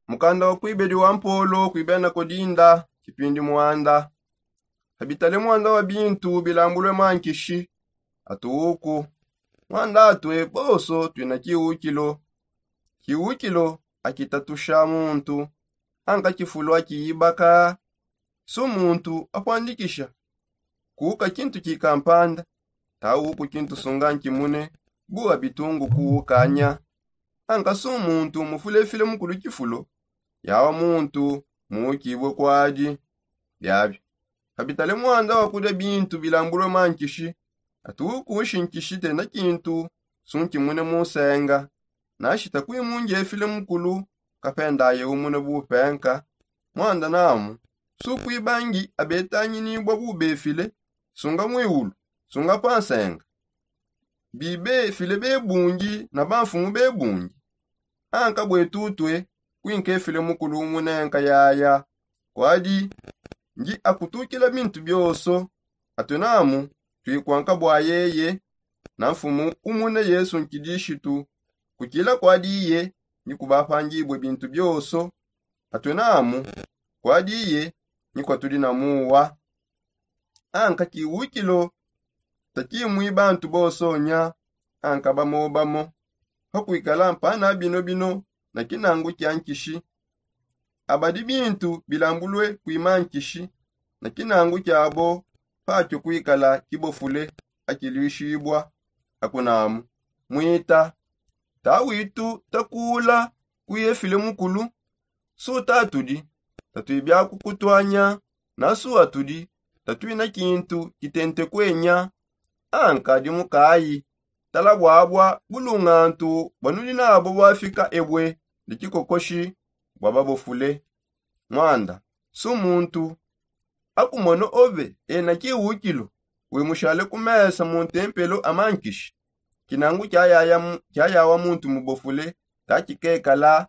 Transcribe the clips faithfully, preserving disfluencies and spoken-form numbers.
Mukanda wa kuibedi wa mpolo kuibena kodinda kipindi mwanda. Habitale mwanda wa bintu bilambulwe mankishi. Atuuku mwanda atwe boso twina kiukilo. Kiukilo akitatusha muntu. Anka kifulu akiyibaka. Su muntu akwandikisha kuuka kintu kikampanda. Tauku kintu sunga nkimune. Buwa bitungu kuukanya. Anka su muntu mufulefile mukulu kifulo. Yawa muntu muukibwe kwadi. Biabia kabitale mwanda wa kudia bintu bilambulwe mankishi. Atuuku nshi nkishi tena kintu su nkimune munsenga. Nashita kuimunjefile mukulu kapendaye umune bupenka. Mwanda namu su kuibangi abetanginibua bubefile. Sunga muiulu sunga pansenga. Bibefile bebungi na bamfumu bebungi. Anka bwe tutue kuinkefile mukulu umunenka yaya. Kwadi ndi akutukila bintu bioso. Atue namu tuikwanka bua yeye na mfumu umune yesu nkidishitu. Kukila kwadi iye ni kubapangibue bintu bioso. Atue namu kwadi iye ni kwatudi na muwa. Anka kiwukilo takimui bantu bosonya. Anka bamobamo pakuikala mpana bino bino na kinangu kia nkishi. Abadi bintu bilambulue kuima nkishi na kinangu kiabo. Patio kuikala kibofule akiluishibua. Akunamu mwita tawitu takula kuye file mukulu. Su tatudi tatui biakukutuanya. Na su atudi tatuina kintu kitente kuenya. Anka dimukayi tala buabua bulungantu buanudi nabo buafika ebue ne kikokoshi bua babofule. Mwanda su muntu akumona obe ena kiwukilo wimushale ku mesa mu ntempelo amankishi. Kinangu kiayawa muntu mubofule takikekala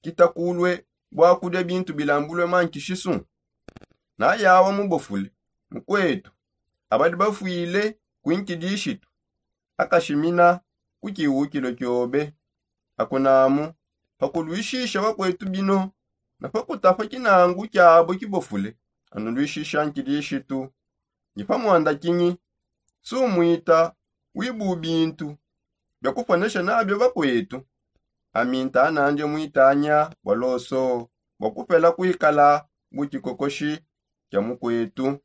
kitakulue bua kudia bintu bilambulue mankishi su. Nayawa mubofule mukuetu abadi bafuile kuinkidishitu akashimina ku kiwukilo kiobe. Akunamu pakuluishisha bakuetu bino na pakutapa kinangu kiabo kibofule. Anuluishisha nkidishitu ndi pa mwanda kinyi? Sumwita wibu bintu bia kuponesha nabio bakuetu. Aminta anandi mwitanya bua loso bua kupela kuikala bu kikokoshi kia mukuetu.